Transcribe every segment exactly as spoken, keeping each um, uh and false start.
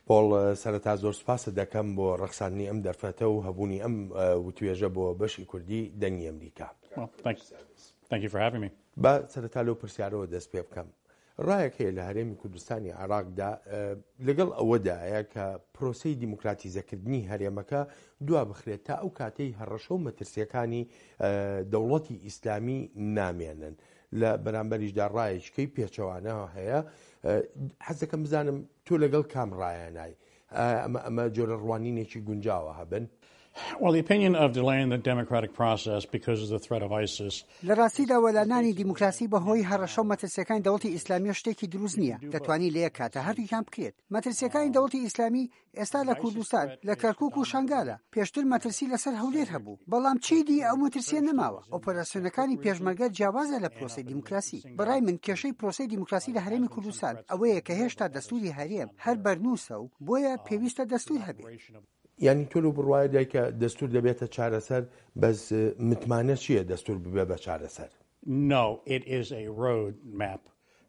پۆڵ، سەرەتا زۆر سوپاست دەکەم بۆ ڕەخساندنی ئەم دەرفەتە و هەبوونی ئەم وتوێژە بۆ بەشی کوردی دەنگی ئەمریکا. با سەرەتا لەو پرسیارەوە دەست پێ بکەم. ڕایەک هەیە لە هەرێمی کوردستانی عێراقدا لەگەڵ ئەوەدایە کە پرۆسەی دیموکراتیزەکردنی هەرێمەکە دوا بخرێت تا ئەو کاتەی هەڕەشە و مەترسیەکانی دەوڵەتی ئیسلامی نامێنن. لە بەرامبەریشدا ڕایەکیکەی پێچەوانە هەیە. حەز دەکەم بزانم تۆ لەگەڵ کام ڕایانای؟ ئەمە ئەمە جۆرە ڕوانینێکی گونجاوە هەبن؟ Well, the opinion of delaying the democratic process because of the threat of ISIS. لە ڕاستیدا وەلانانی دیموکراسی بەهۆی هەڕەشە و مەترسیەکانی دەوڵەتی ئیسلامیە شتێکی دروست نییە. دەتوانی لە یەک کاتە هەردووکیان بکرێت. مەترسیەکانی دەوڵەتی ئیسلامی ئێستا لە کوردستان، لە کەرکوک و شەنگالە. پێشتر مەترسی لەسەر هەولێر هەبوو، بەڵام چیدی ئەو مەترسیە نەماوە. ئۆپەراسیۆنەکانی پێشمەرگە جیاوازە لە پرۆسەی دیموکراسی. بەڕای من کێشەی پرۆسەی دیموکراسی لە هەرێمی کوردستان ئەوەیە کە هێشتا دەستوری هەرێم هەر بەرنووسە و بۆیە پێویستە دەستور هەبێت. یانی تۆ لەو بڕوایە دای کە دەستور دەبێتە چارەسەر، بەس متمانە چییە دەستور ببێ بە چارەسەر؟ No, it is a road map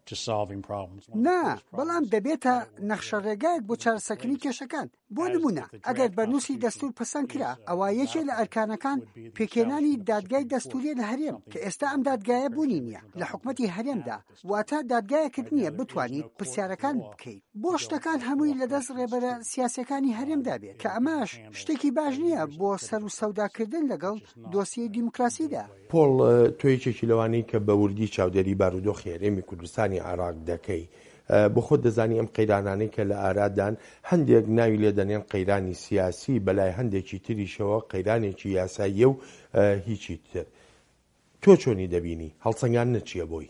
to solving problems. نا، بەڵام دەبێتە نەخشەڕێگایەک بۆ چارەسەرکردنی کێشەکان. بۆ نموونە ئەگەر بەرنووسی دەستوور پەسەند کرا، ئەوا یەکێ لە ئەرکانەکان پێکهێنانی دادگای دەستووریە لە هەرێم، کە ئێستا ئەم دادگایە بوونی نییە لە حکومەتی هەرێمدا، واتە دادگایەکت نییە بتوانیت پرسیارەکان بکەیت بۆ شتەکان هەمووی لەدەست ڕێبەرە سیاسیەکانی هەرێمدا بێت، کە ئەمەش شتێکی باش نییە بۆ سەروسەوداکردن لەگەڵ دۆسیەی دیموکراسیدا. پۆڵ، تۆ یەکێکی لەوانەی کە بە وردی چاودێری بارودۆخی هەرێمی کوردستانی عێراق دەکەی، بۆ خۆت دەزانی ئەم قەیرانانەی کە لە ئارادان هەندێک ناوی لێ دەنێن قەیرانی سیاسی، بەلای هەندێکی تریشەوە قەیرانێکی یاساییە و هیچی تر. تۆ چۆنی دەبینی؟ هەڵسەنگاندنت چییە بۆی؟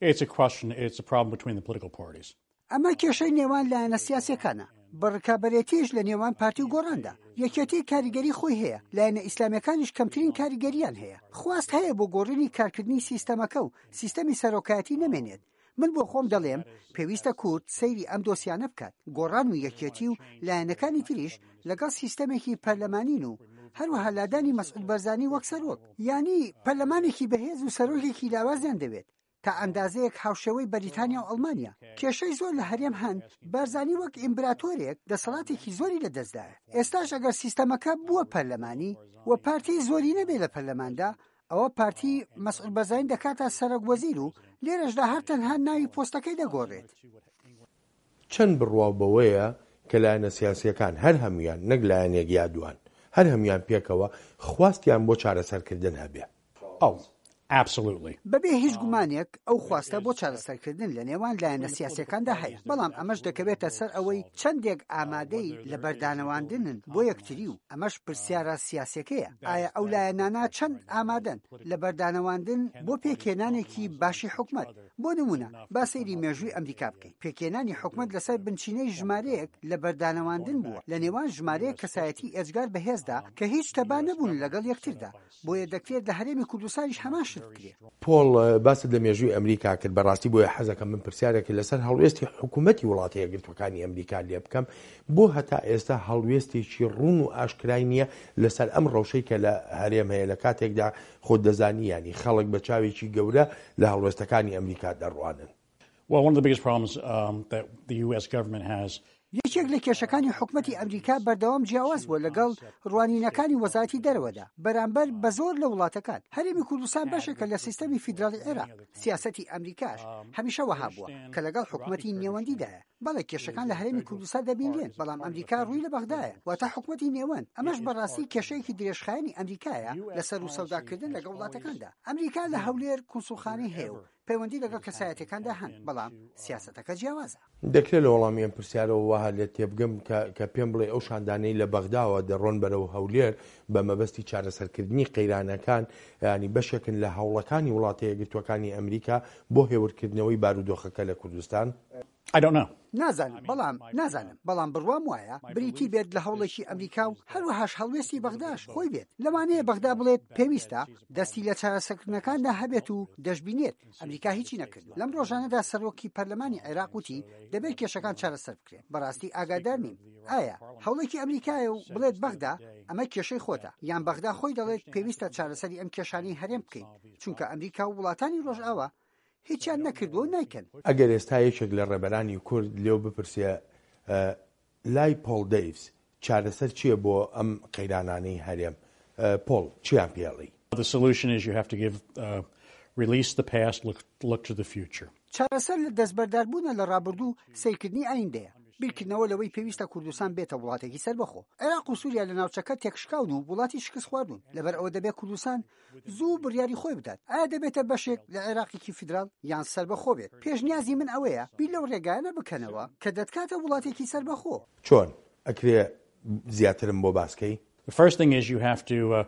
It's a question, it's a problem between the political parties. ئەمە کێشەی نێوان لایەنە سیاسیەکانە، بە ڕکابەرێتیش لە نێوان پارتی و گۆڕاندا. یەکێتی کاریگەری خۆی هەیە، لایەنە ئیسلامیەکانیش کەمترین کاریگەریان هەیە. خواست هەیە بۆ گۆڕینی کارکردنی سیستەمەکە و سیستەمی سەرۆکایەتی نەمێنێت. من بۆ خۆم دەڵێم پێویستە کورد سەیری ئەم دۆسیانە بکات، گۆڕان و یەکێتی و لایەنەکانی تریش لەگەڵ سیستەمێکی پەرلەمانین و هەروەها لادانی مەسعود بەرزانی وەک سەرۆک. یانی پەرلەمانێکی بەهێز و سەرۆکێکی لاوازیان دەوێت، تا ئەندازەیەک هاوشێوەی بەریتانیا و ئەڵمانیا. کێشەی زۆر لە هەرێم هەن، بارزانی وەک ئیمبراتۆرێک دەسەڵاتێکی زۆری لەدەستدایە. ئێستاش ئەگەر سیستەمەکە بووە پەرلەمانی و پارتی زۆری نەبێت لە پەرلەماندا، ئەوە پارتی مەسعود بەرزانی دەکاتە سەرۆک وەزیر و لێرەشدا هەر تەنها ناوی پۆستەکەی دەگۆڕێت. چەند بڕواو بەوەیە کە لایەنە سیاسییەکان هەر هەموویان نەک لایەنێک یا دووان، هەر هەموویان پێکەوە خواستیان بۆ چارەسەرکردن هەبێ؟ Oh, absolutely. بەبێ هیچ گومانێک ئەو خواستە بۆ چارەسەرکردن لە نێوان لایەنە سیاسییەکاندا هەیە، بەڵام ئەمەش دەکەوێتە سەر ئەوەی چەندێک ئامادەی لەبەردانەواندنن بۆ یەکتری و ئەمەش پرسیارە سیاسیەکەیە، ئایا ئەو لایەنانە چەند ئامادەن لە بەردانەواندن بۆ پێکهێنانێکی باشی حکومەت؟ بۆ نمونە با سەیری مێژووی ئەمریکا بکەین، پێکهێنانی حکومەت لەسەر بنچینەی ژمارەیەک لە بەردانەواندن بووە لە نێوان ژمارەیەک کەسایەتی ئێجگار بەهێزدا کە هیچ تەبا نەبوون لەگەڵ یەکتردا، بۆیە دەکرێت لە هەرێمی کوردستانیش هەمان شت بکرێت. پۆڵ، باست لە مێژووی ئەمریکا کرد، بەڕاستی بۆیە حەزەکەم من پرسیارێک لەسەر هەڵوێستی حکوومەتی وڵاتە یەکگرتووەکانی ئەمریکا لێ بکەم، بۆ هەتا ئێستا هەڵوێستێکی ڕوون و ئاشکرای نییە لەسەر ئەم ڕەوشەی کە لە هەرێم هەیە، لە کاتێکدا خۆت دەزانی یانی خەڵک بە چاوێکی گەورە لە هەڵوێستەکانی ئەمریکا دەڕوانن؟ Well, one of the biggest problems um, that the U S government has یەکێک لە کێشەکانی حکومەتی ئەمریکا بەردەوام جیاواز بووە لەگەڵ ڕوانینەکانی وەزارەتی دەرەوەدا بەرامبەر بە زۆر لە وڵاتەکان. هەرێمی کوردستان بەشێکە لە سیستەمی فیدراڵی عێراق. سیاسەتی ئەمریکاش هەمیشە وەها بووە کە لەگەڵ حکومەتی نێوەندیدایە. بەڵێ کێشەکان لە هەرێمی کوردستان دەبینرێن، بەڵام ئەمریکا ڕووی لە بەغدایە، واتە حکومەتی نێوەند. ئەمەش بەڕاستی کێشەیەکی درێژخایەنی ئەمریکایە لە سەروسەوداکردن لەگەڵ وڵاتەکاندا. ئەمریکا لە هەولێر کونسوڵخانەی هەیە و پەیوەندی لەگەڵ کەسایەتیەکاندا هەن، بەڵام سیاسەتەکە جیاوازە. دەکرێت لە وەڵامی ئەم پرسیارەوە وەها لێت تێبگەم کە کە پێم بڵێی ئەو شاندانەی لە بەغداوە دەڕۆن بەرەو هەولێر بە مەبەستی چارەسەرکردنی قەیرانەکان، یانی بەشێکن لە هەوڵەکانی وڵاتە یەکگرتووەکانی ئەمریکا بۆ هێورکردنەوەی بارودۆخەکە لە کوردستان؟ I don't know. نازانم، بەڵام نازانم، بەڵام بڕوام وایە بریتی بێت لە هەوڵێکی ئەمریکا و هەروەهاش هەڵوێستی بەغداش خۆی بێت. لەوانەیە بەغدا بڵێت پێویستە دەستی لە چارەسەرکردنەکاندا هەبێت و دەشبینێت ئەمریکا هیچی نەکردووە. لەم ڕۆژانەدا سەرۆکی پەرلەمانی عێراق وتی دەبێت کێشەکان چارەسەر بکرێن. بەڕاستی ئاگادار نیم ئایا هەوڵێکی ئەمریکایە و بڵێت بەغدا ئەمە کێشەی خۆتە، یان بەغدا خۆی دەڵێت پێویستە چارەسەری ئەم کێشانەی هەرێم بکەین، چونکە ئەمریکا و وڵاتانی ڕۆژئاوا هیچیان نەکردووە و نایکەن. ئەگەر ئێستا یەکێک لە ڕێبەرانی کورد لێو بپرسێ لای پۆڵ دەیڤس چارەسەر چییە بۆ ئەم قەیرانانەی هەرێم؟ پۆڵ، چییان پێ ئەڵێی؟ The solution is you have to give, uh, release the past, look, look to the future. چارەسەر لە دەستبەرداربوونە لە ڕابردوو، سەیرکردنی ئایندەیە. بیرکردنەوە لەوەی پێویستە کوردستان بێتە وڵاتێکی سەربەخۆ. عێراق و سووریا لە ناوچەکە تێکشکاون و وڵاتی شکستخواردوون. لەبەر ئەوە دەبێت کوردستان زوو بڕیاری خۆی بدات. ئایا دەبێتە بەشێک لە عێراقێکی فیدراڵ یان سەربەخۆ بێت؟ پێشنیازی من ئەوەیە بیر لەو ڕێگایانە بکەنەوە کە دەتکاتە وڵاتێکی سەربەخۆ. چۆن؟ ئەکرێ زیاترم بۆ باس کەی؟ The first thing is you have to uh,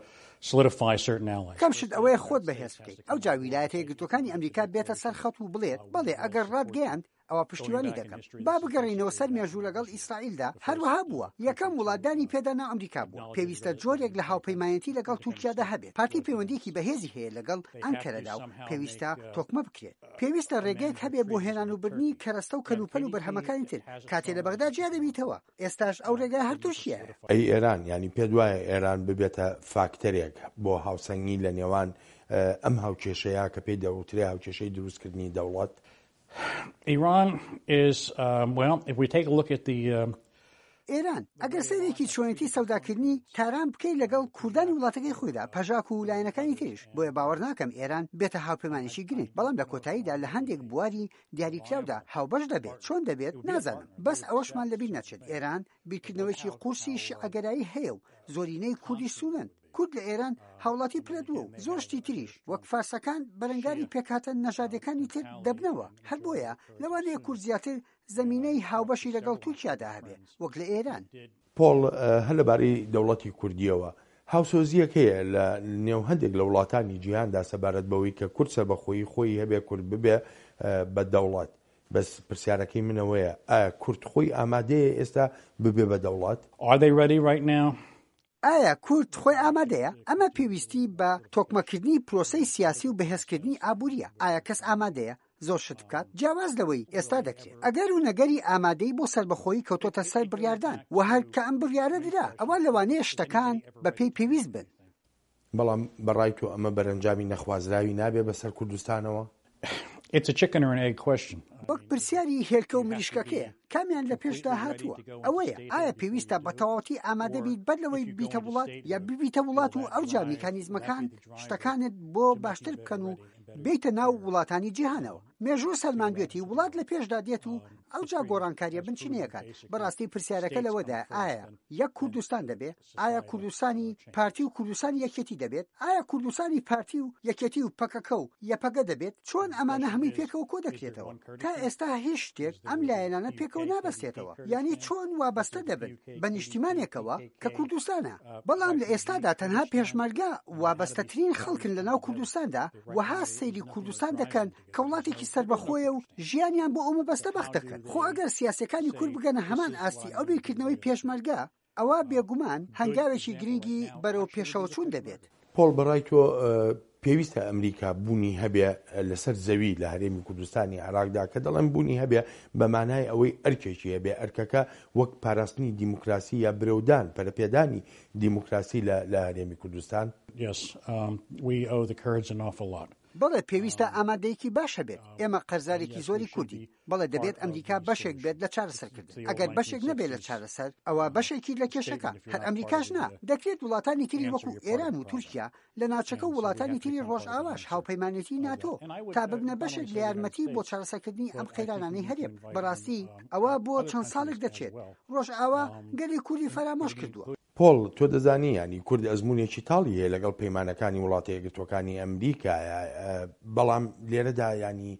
solidify certain allies. یەکەم شت ئەوەیە خۆت بەهێز بکەیت. ئەوجا ویلایەتە یەکگرتووەکانی ئەمریکا بێتە سەر خەت و بڵێت بەڵێ ئەگەر ڕاتگەیاند ئەوە پشتیوانی دەکەم. با بگەڕێینەوە سەر مێژوو لەگەڵ ئیسرائیلدا هەروەها بووە. یەکەم وڵات دانی پێدا نا ئەمریکا بووە. پێویستە جۆرێک لە هاوپەیمانێتی لەگەڵ تورکیادا هەبێت. پارتی پەیوەندییەکی بەهێزی هەیە لەگەڵ ئەنکەرەدا و پێویستە تۆکمە بکرێت. پێویستە ڕێگەیەک هەبێت بۆ هێنان و بردنی کەرەستە و کەلوپەل و بەرهەمەکانی تر کاتێ لە بەغدا جیا دەبیتەوە. ئێستاش ئەو ڕێگا هەر تورکیایە. ئەی ئێران، یانی پێت وایە ئێران ببێتە فاکتەرێک بۆ هاوسەنگی لە نێوان ئەم هاوکێشەیە کە پێی دەوترێ هاوکێشەی دروستکردنی دەوڵەت؟ Iran is, um, well, if we take a look at the um, ئێران، ئەگەر سەیرێکی چۆنێتی سەوداکردنی تاران بکەیت لەگەڵ کوردانی وڵاتەکەی خۆیدا، پەژاک و لایەنەکانی تریش، بۆیە باوەڕ ناکەم ئێران بێتە هاوپەیمانێکی گرنگ، بەڵام لە کۆتاییدا لە هەندێک بواری دیاریکراودا هاوبەش دەبێت. چۆن دەبێت نازانم. بەس ئەوەشمان لەبیر نەچێت ئێران بیرکردنەوەیەکی قورسی شیعەگەرایی هەیە و زۆرینەی کوردیش سوننەن. کورد لە ئێران هاوڵاتی پلە دووە و زۆر شتی تریش وەک فارسەکان بەرەنگاری پێکهاتە نەژادیەکانی تر دەبنەوە. هەر بۆیە لەوانەیە کورد زیاتر زەمینەی هاوبەشی لەگەڵ تورکیادا هەبێ وەک لە ئێران. پۆڵ، هەر لەبارەی دەوڵەتی کوردییەوە، هاوسۆزییەک هەیە لە نێو هەندێک لە وڵاتانی جیهاندا سەبارەت بەوەی کە کورد سەربەخۆیی خۆی هەبێ، کورد ببێ بە دەوڵەت. بەس پرسیارەکەی من ئەوەیە، ئایا کورد خۆی ئامادەیە ئێستا ببێ بە دەوڵەت؟ Are they ready right now? ئایا کورد خۆی ئامادەیە؟ ئەمە پێویستی بە تۆکمەکردنی پرۆسەی سیاسی و بەهێزکردنی ئابوورییە. ئایا کەس ئامادەیە زۆر شت بکات جیاواز لەوەی ئێستا دەکرێت؟ ئەگەر و نەگەری ئامادەیی بۆ سەربەخۆیی کەوتۆتە سەر بڕیاردان و هەر کە ئەم بڕیارە درا ئەوا لەوانەیە شتەکان بەپێی پێویست بن. بەڵام بە ڕای تۆ ئەمە بەرەنجامی نەخوازراوی نابێ بەسەر کوردستانەوە؟ It's a chicken or an egg question. وەک پرسیاری هێلکە و مریشکەکەیە، کامیان لە پێشدا هاتووە؟ ئەوەیە ئایا پێویستە بە تەواوەتی ئامادە بیت بەر لەوەی ببیتە وڵات، یا ببیتە وڵات و ئەوجا میکانیزمەکان شتەکانت بۆ باشتر بکەن و بێیتە ناو وڵاتانی جیهانەوە؟ مێژوو سەلماندوێتی وڵات لە پێشدا دێت و ئەوجا گۆڕانکارییە بنچینەیەکان. بەڕاستی پرسیارەکە لەوەدایە ئایا یەک کوردستان دەبێ؟ ئایا کوردستانی پارتی و کوردستانی یەکێتی دەبێت؟ ئایا کوردستانی پارتی و یەکێتی و پەکەکە و یەپەگە دەبێت؟ چۆن ئەمانە هەمووی پێکەوە کۆدەکرێتەوە؟ تا ئێستا هیچ شتێک ئەم لایەنانە پێکەوە نابەستێتەوە. یانی چۆن وابەستە دەبن بە نیشتیمانێکەوە کە کوردستانە؟ بەڵام لە ئێستادا تەنها پێشمەرگە وابەستەترین خەڵکن لەناو کوردستاندا، وەها سەیری کوردستان دەکەن کە وڵاتێکی سەربەخۆیە و ژیانیان بۆ ئەو مەبەستە بەخت دەکەن. خۆ ئەگەر سیاسیەکانی کورد بگەنە هەمان ئاستی ئەو بیرکردنەوەی پێشمەرگە، ئەوا بێگومان هەنگاوێکی گرنگی بەرەو پێشەوەچوون دەبێت. پۆڵ، بەڕای تۆ پێویستە ئەمریکا بوونی هەبێ لەسەر زەوی لە هەرێمی کوردستانی عێراقدا؟ کە دەڵێم بوونی هەبێ بە مانای ئەوەی ئەرکێکی هەبێ، ئەرکەکە وەک پاراستنی دیموکراسی یا برەودان، پەرەپێدانی دیموکراسی لە هەرێمی کوردستان؟ Yes, um, we owe the Kurds an awful lot. بەڵێ، پێویستە ئامادەیەکی باش هەبێت. ئێمە قەرزارێکی زۆری کوردین. بەڵێ، دەبێت ئەمریکا بەشێک بێت لە چارەسەرکردن. ئەگەر بەشێک نەبێت لە چارەسەر، ئەوا بەشێکی لە کێشەکە. هەر ئەمریکاش نا، دەکرێت وڵاتانی تری وەکو ئێران و تورکیا لە ناوچەکە و وڵاتانی تری ڕۆژئاواش، هاوپەیمانێتی ناتۆ، تا ببنە بەشێک لە یارمەتی بۆ چارەسەرکردنی ئەم قەیرانانەی هەرێم. بەڕاستی ئەوە بۆ چەند ساڵێک دەچێت. ڕۆژئاوا گەلی کوردی فەرامۆش کردووە. پۆڵ، تۆ دەزانی یانی کورد ئەزموونێکی تاڵی هەیە لەگەڵ پەیمانەکانی وڵاتە یەکگرتووەکانی ئەمریکایە، بەڵام لێرەدا یانی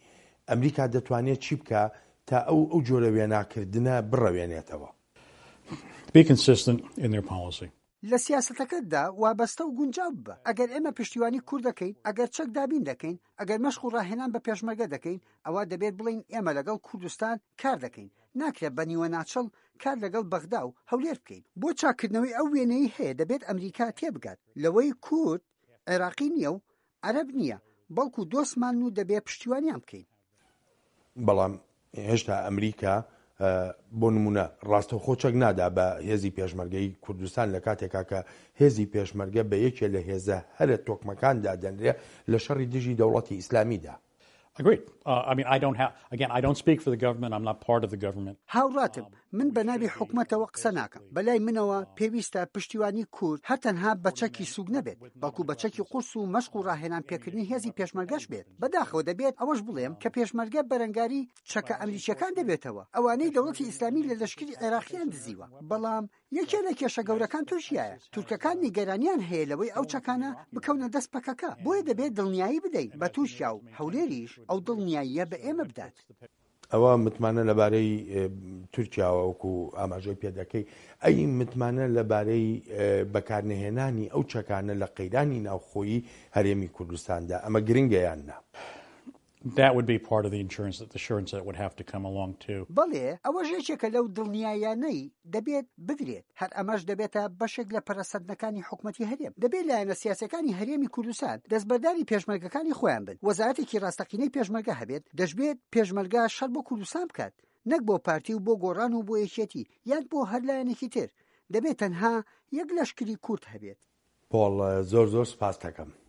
ئەمریکا دەتوانێت چی بکا تا ئەو ئەو جۆرە وێناکردنە بڕەوێنێتەوە؟ Be consistent in their policy. لە سیاسەتەکەتدا وابەستە و گونجاو ببە. ئەگەر ئێمە پشتیوانی کورد دەکەین، ئەگەر چەک دابین دەکەین، ئەگەر مەشق و ڕاهێنان بە پێشمەرگە دەکەین، ئەوا دەبێت بڵێین ئێمە لەگەڵ کوردستان کار دەکەین. ناکرێت بە نیوە ناچڵ کار لەگەڵ بەغدا و هەولێر بکەین. بۆ چاککردنەوەی ئەو وێنەی هەیە دەبێت ئەمریکا تێبگات لەوەی کورد عێراقی نییە و عەرەب نییە، بەڵکو دۆستمانن و دەبێت پشتیوانیان بکەین. بەڵام هێشتا ئەمریکا بۆ نمونە ڕاستەوخۆ چەک نادا بە هێزی پێشمەرگەی کوردستان لە کاتێکا کە هێزی پێشمەرگە بە یەکێ لە هێزە هەرە تۆکمەکان دادەنرێ لە شەڕی دژی دەوڵەتی ئیسلامیدا. Agreed. Uh, I mean, I don't have, again, I don't speak for the government. I'm not part of the government. هاوڕاتم. من بە ناوی حکومەتەوە قسە ناکەم. بەلای منەوە پێویستە پشتیوانی کورد هەر تەنها بە چەکی سوک نەبێت، بەڵکو بە چەکی قورس و مەشق و ڕاهێنان پێکردنی هێزی پێشمەرگەش بێت. بەداخەوە دەبێت ئەوەش بڵێم کە پێشمەرگە بەرەنگاری چەکە ئەمریکیەکان دەبێتەوە، ئەوانەی دەوڵەتی ئیسلامی لە لەشکری عێراقیان دزیوە. بەڵام یەکێ لە کێشە گەورەکان تورکیایە. تورکەکان نیگەرانیان هەیە لەوەی ئەو چەکانە بکەونە دەست پەکەکە، بۆیە دەبێت دڵنیایی بدەین بە تورکیا و هەولێریش ئەو دڵنیاییە بە ئێمە بدات. ئەوە متمانە لەبارەی تورکیاوە وەکو ئاماژەی پێدەکەی، ئەی متمانە لەبارەی بەکارنەهێنانی ئەو چەکانە لە قەیرانی ناوخۆیی هەرێمی کوردستاندا ئەمە گرنگە یان نا؟ That would be part of the insurance, that the assurance that would have to come along too. بەڵێ، ئەوەش یەکێکە لەو دڵنیایانەی دەبێت بدرێت. هەر ئەمەش دەبێتە بەشێک لە پەرەسەندنەکانی حکومەتی هەرێم. دەبێت لایەنە سیاسەکانی هەرێمی کوردستان دەستبەرداری پێشمەرگەکانی خۆیان بن، وەزارەتێکی ڕاستەقینەی پێشمەرگە هەبێت. دەشبێت پێشمەرگە شەڕ بۆ کوردستان بکات، نەک بۆ پارتی و بۆ گۆڕان و بۆ یەکێتی یان بۆ هەر لایەنێکی تر. دەبێت تەنها یەک لەشکری کورد هەبێت. پۆڵ، زۆر زۆر سپاس دەکەم.